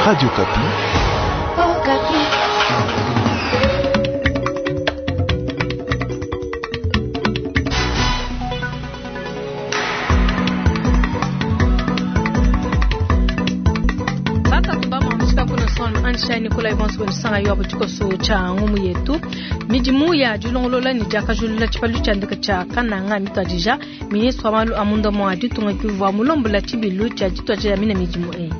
Radio Okapi. Okapi. Ansha Nicolas Evans wenisanga yo tshikoso tsha ngumu yetu midimu ya dilongolola ne diakajulula tshipalu tshia ndeke tshia Kananga mituadija ministre wa malu a munda mua ditunga kivua mulombola tshibilu tshia dituadija mina midimu eyi.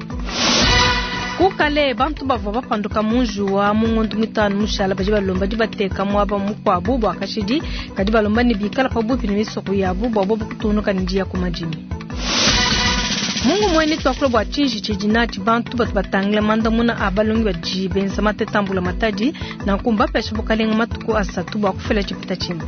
Kukale bantu bavua bapanduka mu njuwa mu ngondo mitanu mushala badi balomba dibateka muaba mukuabu bua kashidi kadi balomba ne bikala pabuipi ne misoko yabu bua bobu kutungunuka ne diya ku madimi. Mungu mwene twakula bua tshinji tshidi natshi bantu batu batangila mandamuna a balongi badi benza mateta mbula matadi nanku mbapesha bukalenga matuku asatu bua kufila tshipeta tshimpe.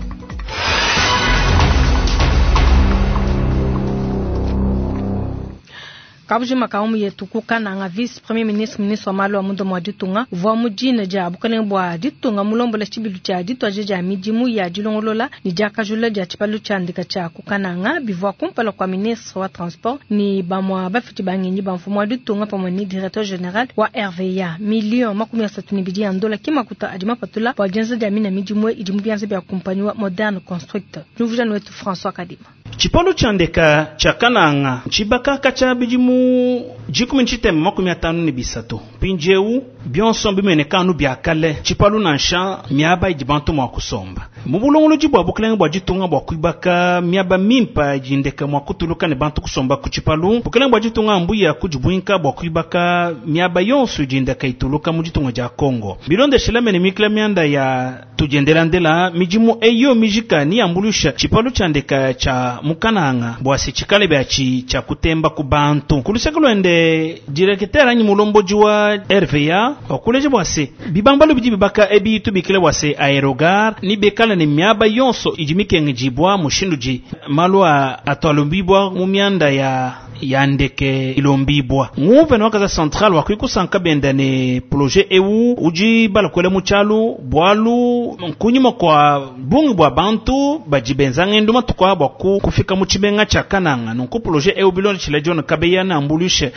Kabujima ka umu yetu ku Kananga vice premier ministre ministre wa malu a munda mua ditunga uvua mu dina dia bukalenge bua ditunga mulombola tshibilu tshia dituadija dia midimu ya dilongolola ne diakajula dia tshipalu tshia ndeka tshia ku Kananga bivua kumpala kua ministre wa transport ne bamua bafidi ba ngenyi ba mfumu wa ditunga pamue ne directeur general wa RVA. Million 32 ya ndola ki makuta adi mapatula bua dienza dia mina midimu idi mu bianza bia kumpanyi wa Moderne Construct. Diumvuija wetu François Kadima. Tshipalu tshia ndeka tshia Kananga ntshibaka tshia bidimu 1953 mpindieu bionso mbimueneka anu bia kale tshipalu nansha miaba idi bantu mua kusomba mu bulongolodi bua bukalenge bua ditunga bua kuibaka miaba mimpa idi ndeka mua kutuluka ne bantu kusomba ku tshipalu. Bukalenge bua ditunga mbuya kudibuinka bua kuibaka miaba yonso idi ndeka ituluka mu ditunga dia Kongo. Bilondeshela mene mikila mianda ya tudiendelandela midimu eyo mijika ni yambulusha tshipalu tshia ndeka tshia mukananga bua se tshikale biatshi tshia kutemba ku bantu. Kuluseke luende directeur anyi mulomboji wa RVA wakuleja bua se bibambalu bidi bibaka ebi tubikile bua se aérogare ni bekala ne miaba yonso idi mikengejibwa mushindu ji malu a atwalumbibwa mu mianda ya ya ndeke ilombibwa. Nguvena wa Kasaï Central wakwikusanka benda ne projet eu udi balakwela mu tshialu bualu nkunyima kwa bungi bua bantu badi benza ngendo matuku bua kufika mu tshimenga tshia Kananga. Nunku projet eu bilonda tshila John Kabeya na ambulushe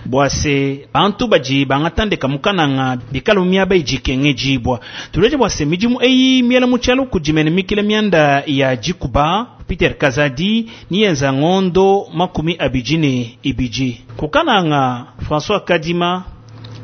bua se bantu badi bangata ndeka mu Kananga bikala mu miaba idi ikengedibwa. Tuleje bua se midimu eyi miela mu tshialu kudimene mikila mianda ya dikuba Peter Kazadi ni yenza ngondo 22. Kukananga François Kadima,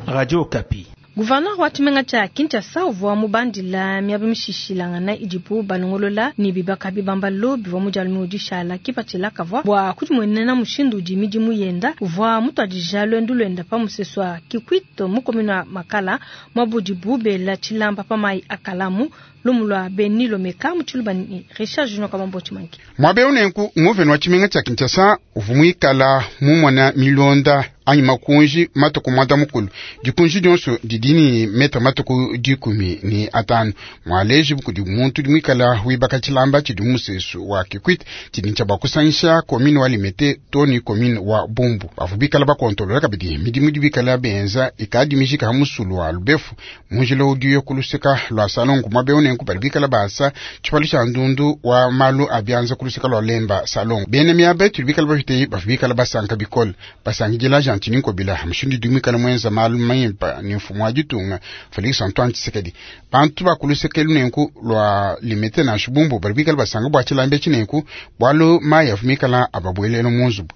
Radio Okapi. Gouverneur wa tshimenga tshia Kinshasa uvua mubandila miaba mishishilangana idibu balongolola ne bibaka bibambalu bivua mu dialume dishala kipatshila kavua bua kudimuenena mushindu udi midimu yenda. Uvua mutuadija luendu luenda pa musesu wa Kikwit mu commune wa Makala muabudibu bela tshilamba pa mayi akalamu lumu lua Beni Lomeka mu tshiluba ni Richard Junior Kamambo Tshimangi. Muaba eu nenku nguvena wa tshimenga tshia Kinshasa uvua muikala mumona milonda anyi makunji matuku mwanda mukulu. Dikunji dionso didi ni metre matuku 15. Mwaleji kudi muntu udi muikala wibaka tshilamba tshidi musesu wa Kikwit tshidi tshia bakusangisha commune wa Limete to ni commune wa Bumbu. Bavua bikala bakontolola kabidi midimu idi bikala benza ikadi mijika ha musulu wa Lubefu munjila udiyo kuluseka lwa Salongo. Muaba eu nenku badi bikala basa tshipalu tshia ndundu wa malu a bianza kuluseka lwa Lemba Salongo. Bena miaba tudi bikala bapite bavua bikala basanka bikole basangidila Gentiny Ngobila mushindu udi muikala muenza malu mimpe ne mfumu wa ditunga Felix Antoine Tshisekedi. Bantu bakulusekelu nenku lwa Limete nansha Bumbu badi bikala basanga bua tshilamba etshi nenku bualu mayi avua mikala ababuelela mu nzubu.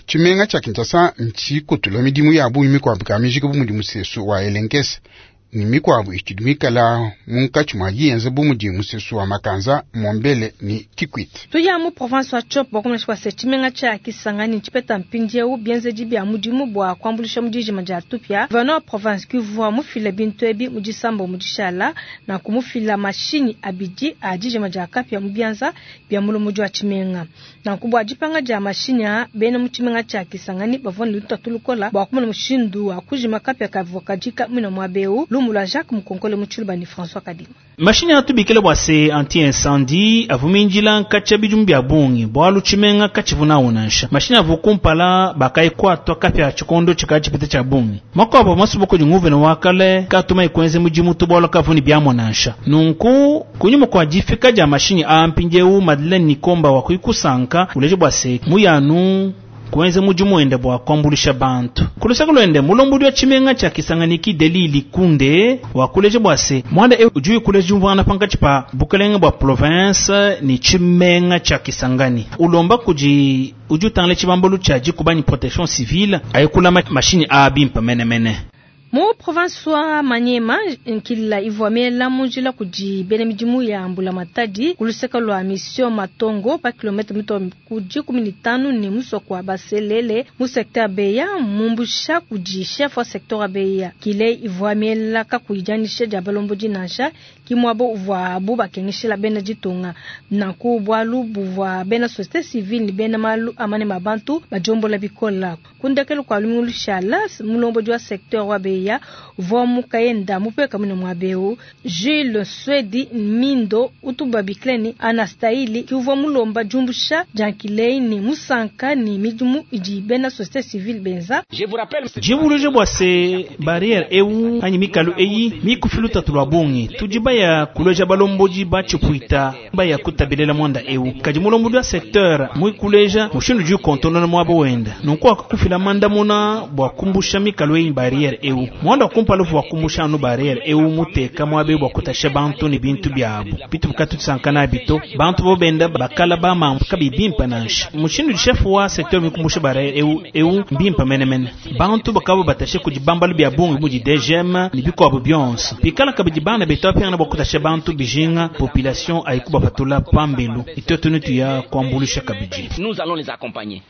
Tshimenga tshia Kinshasa ntshikutula midimu ya bungi mikuabu ka mijika bu mudi musesu wa Elenkese ni mikuabu itshidi mikala munkatshi mua yienza bu mudi musesu wa Makanza, Mombele ni Kikwit. Tuya mu province wa Tshopo bua kumanya se tshimenga tshia Kisangani tshipeta mpindieu bienzedi bia mudimu bua kuambuluisha mu dijima dia tupia. Gouverneur wa province kivua mufila bintu ebi mu disambo mu dishala na kumufila mashinyi abidi a dijima dia kapia mu bianza bia mulomodi wa tshimenga. Nanku bua dipanga dia mashinyi a bena mu tshimenga tshia Kisangani bavua ne lutatu lukola bua kumona mushindu wa kujima kapia kavua kajika muina muaba eu. Lumu lua Jacques Mukonkole mu tshiluba ni François Kadima. Mashinyi atubikile bua se anti-incendie avumindila nkatshia bidimu bia bungi bualu tshimenga katshivuna nansha. Mashinyi avu kumpala bakaikwatwa kapia tshikondo tshikadi tshipita tshia bungi. Makuabu masubuku di nguvena wa kale katuma ikwenze mudimu tu bualu kavuni biamua nansha. Nunku kunyuma kua difika dia mashinyi a mpindieu Madeleine Nikomba wa kuikusanka uleje bua se muyanu Kuenza mudimu wende bua kuambuluisha bantu. Ku luseke luende, mulombodi wa tshimenga tshia Kisangani ki Delly Likunde wakuleja bua se muanda eu udi ukuleja diumvuangana pankatshi pa bukelenge bua province ne tshimenga tshia Kisangani. Ulomba kudi udi utangila tshibambalu tshia dikuba ne protection civile aye kulama mashinyi a bimpe menemene. Mu province wa Maniema, nkila ivua miela mu njila kudi bena midimu ya mbulamatadi ku luseke lua Mission Matongo pa kilomètre mitue ku 15 ne musoko wa Baselele mu secteur Beya, mumbusha kudi chef wa secteur wa Beya. Kile ivua miela kakuyi dianyisha dia balombodi nansha ki muaba uvuabu bakengeshela bena ditunga. Nanku bualu buvua bena société civile ne bena malu a manema a bantu badiombola bikola. Ku ndekelu kua lumingu lushala, mulombodi wa secteur wa Beya uvua mukayenda mupeka mune muaba eu, Jules Swedi Mindo utu babikila ne Anastaili, ki uvua mulomba diumbusha dia nkilei ne musanka ne midimu idi bena société civile benza. Dibuluja bua se barrière eu anyi mikalu eyi mikufi lutatu lua bungi. Tudi baya kuleja balombodi ba tshipuita baya kutabelela muanda eu. Kadi mulombodi wa secteur muikuleja mushindu udi ukontonona muaba wenda. Nunku akakufila mandamuna bua kumbusha mikalu eyi barrière eu. Muanda wa kumpala uvua kumbusha anu barrière eu muteka muaba eu bua kutasha bantu ne bintu biabu. Bitu bukatu nabi to. Bantu bo benda bakala ba mambu kabi bimpe nansha. Mushindu chef wa secteur mikumbusha barrière eu eu mbimpe menemene. Bantu bakabo batashe kudi bambalu bia bungi mudi DGM ne bikuabu bionso. Pikala kabidi bana betu apingana bua kutasha bantu bijinga population ayikuba patula pambelu. Itoto netu ya kuambulisha kabidi. Nous allons les accompagner.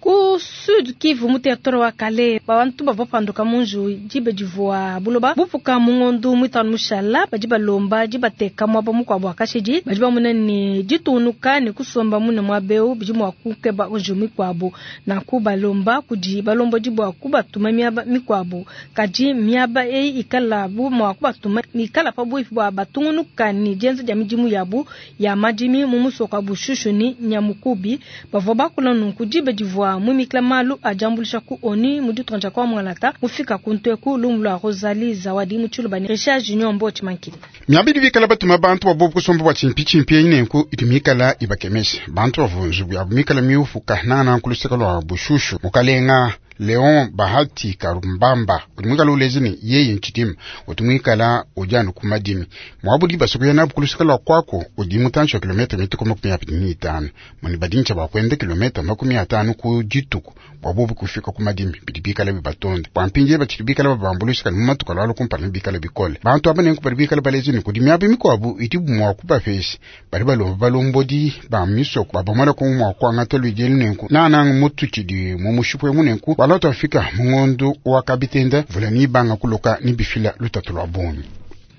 Ku Sud Kivu mu territoire wa Kale, bantu bavua panduka munju dibe divua buloba bupuka mu ngondu mwitanu mushala badi balomba dibateka muaba mukuabu wa kashidi badi bamona ne ditunuka ne kusomba mune muaba eu bidi mua kukeba nju mikuabu. Nanku balomba kudi balombodi bua kubatuma miaba mikuabu, kadi miaba eyi ikala bu mua kubatuma mikala pabuipi bua batungunuka ne dienza dia midimu yabu ya madimi mu musoko wa Bushushu ne Nyamukubi. Bavua bakula nunku dibe divua mumikila malu ajambulisha ku ONU mu ditunga kwa Mwangalata mufika ku ntweku lumu lwa Rosalie Zawadi mu Tshiluba ne Richard Junior Mbochi Mankini. Miabidi bikala batuma bantu babo kusomba bwa chimpi chimpi nenku idi mikala ibakemesha bantu bavunzu bya mikala miufuka nana kuluseka lwa Bushushu mukalenga Leon Bahati Karumbamba udi ulezi ni yeye nchidimu utumwikala ujanu kumadimi mwabudi basukuya nabu kuluseka lwa kwako udi mutanshi wa kilomita 25 muni badincha bakwenda kilomita 50 ku dituku bwabubu kufika kumadimi bidi bikala bibatonde bwampinje bachili bikala babambulusika ni mumatuka lwalo kumpala bikala bikole bantu aba nenku bali bikala balezi ni kudi miabu mikwabu idi mwa kubapesha bali balomba balombodi ba misoko babamala kumwa kwangata lwijeli nenku nananga mutu chidi mumushipwe munenku waloto afika mungondo wa kabitenda vula ni banga kuloka ni bifila lutatu lwa bungi.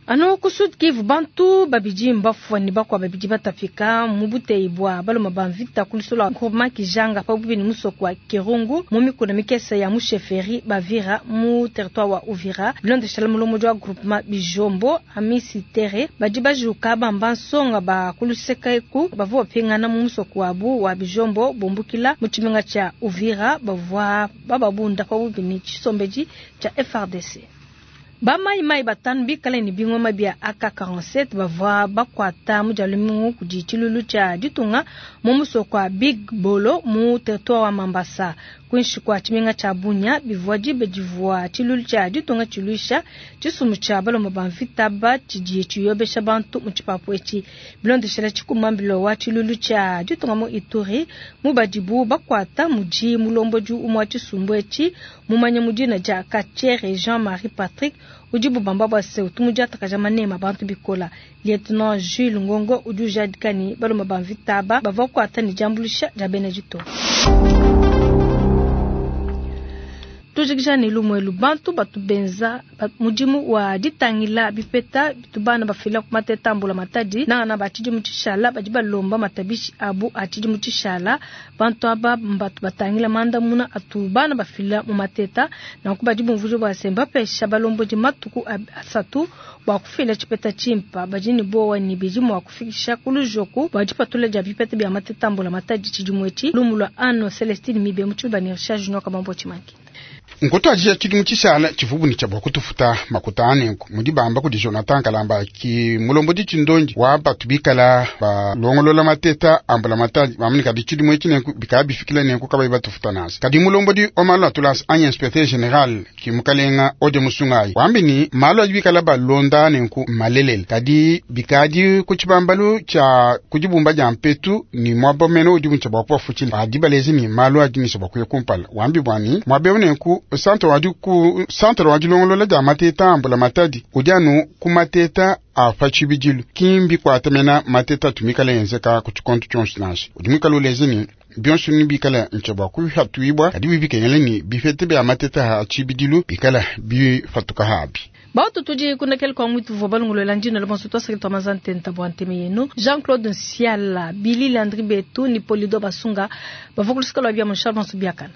Ano ku Sud Kivu bantu babidi mbafwa ni bakwa babidi batafika mu buteyi bwa baloma ba mvita ku lusolo lwa groupement Kijanga pabubi ni musoko wa Kirungu mu mikuna mikese ya musheferi Bavira mu territoire wa Uvira. Bilondeshela mulomo wa groupement Bijombo Amisi Tere badi bajuka bamba nsonga ba kuluseka eku bavua bapingana mu musoko wabu wa Bijombo bombukila mu tshimenga tshia Uvira bavua bababunda pabubi ni tshisombeji tshia FARDC. Ba mai mai batanu bikale ni bingoma bia AK-47 bavua bakwata mu dialumingu kudi tshilulu tshia ditunga mu musoko wa Big Bolo mu territoire wa Mambasa. Kuinshi kwa tshimenga tshia Bunia bivua dibe divua tshilulu tshia ditunga tshiluisha tshisumbu tshia balomba ba mvita ba tshidi tshiyobesha bantu mu tshipapu etshi. Bilondeshela tshikumambilo wa tshilulu tshia ditunga mu Ituri mu badibu bakwata mudi mulombodi umwe wa tshisumbu etshi mumanye mudina dia Kachere Jean-Marie Patrick udi bubamba bwa se utumu diatakaja manema bantu bikola. Lieutenant Jules Ngongo udi ujadika ni balomba ba mvita ba bavua kuata ni diambulisha dia bena ditunga. Tujikija ne lumwelu bantu batu benza mudimu wa ditangila bipeta bitubana bafila ku mateta mbula matadi nangana ba tshidimu tshishala badi balomba matabishi abu a tshidimu tshishala bantu aba mbatu batangila mandamuna atubana bafila mu mateta nanku badi bumvuja bwa semba pesha balombodi matuku asatu bua kufila tshipeta tshimpa badi ne bowa ni bidi mua kufikisha ku lujoku bua dipatula dia bipeta bia mateta mbula matadi tshidimu etshi lumu lwa Anno Celestine Mibe mu Tshiluba ne Richard Junior Kabambo Tshimanki. Nkutuadija tshidimu tshishala tshivubu ne tshia bua kutufuta makuta anenku mudi bamba kudi Jonathan Kalamba ki mulombodi tshindondi wa batu bikala balongolola mateta ambula matadi bamani kadi tshidimu etshi nenku bikala bifikila nenku kabayi batufuta nansha. Kadi mulombodi wa malu atulasa anyi inspecteur general ki mukalenga Ode Musungayi wambi ni malu adi bikala balonda nenku malelela kadi bikadi ku tshibambalu tshia kudibumba dia mpetu ni mwaba mene udi mutshia bua kubafutshila adi balezi ni malu adi nisa bua kuya kumpala wambi bwani mwaba eu nenku centre wadi ku centre wa dilongolola dia mateta ambula matadi udi anu ku mateta a pa tshibidilu kimbi kuatamena mateta atumikala enzeka ku tshikonto tshionso nansha udi muikala ulezi ni bionso ni bikala ntshia bua kuhatuibua kadi bibikengela ni bifete bia mateta ha tshibidilu bikala bifatuka habi. Bautu tudi kunekele kwa mwitu vwa balongolola ndino le bonso twasakile twa mazantenta bwa nteme yenu Jean-Claude Nsiala Billy Landry Betu ni Polido Basunga bavua kulusika lwa bia Charles Bonso biakana.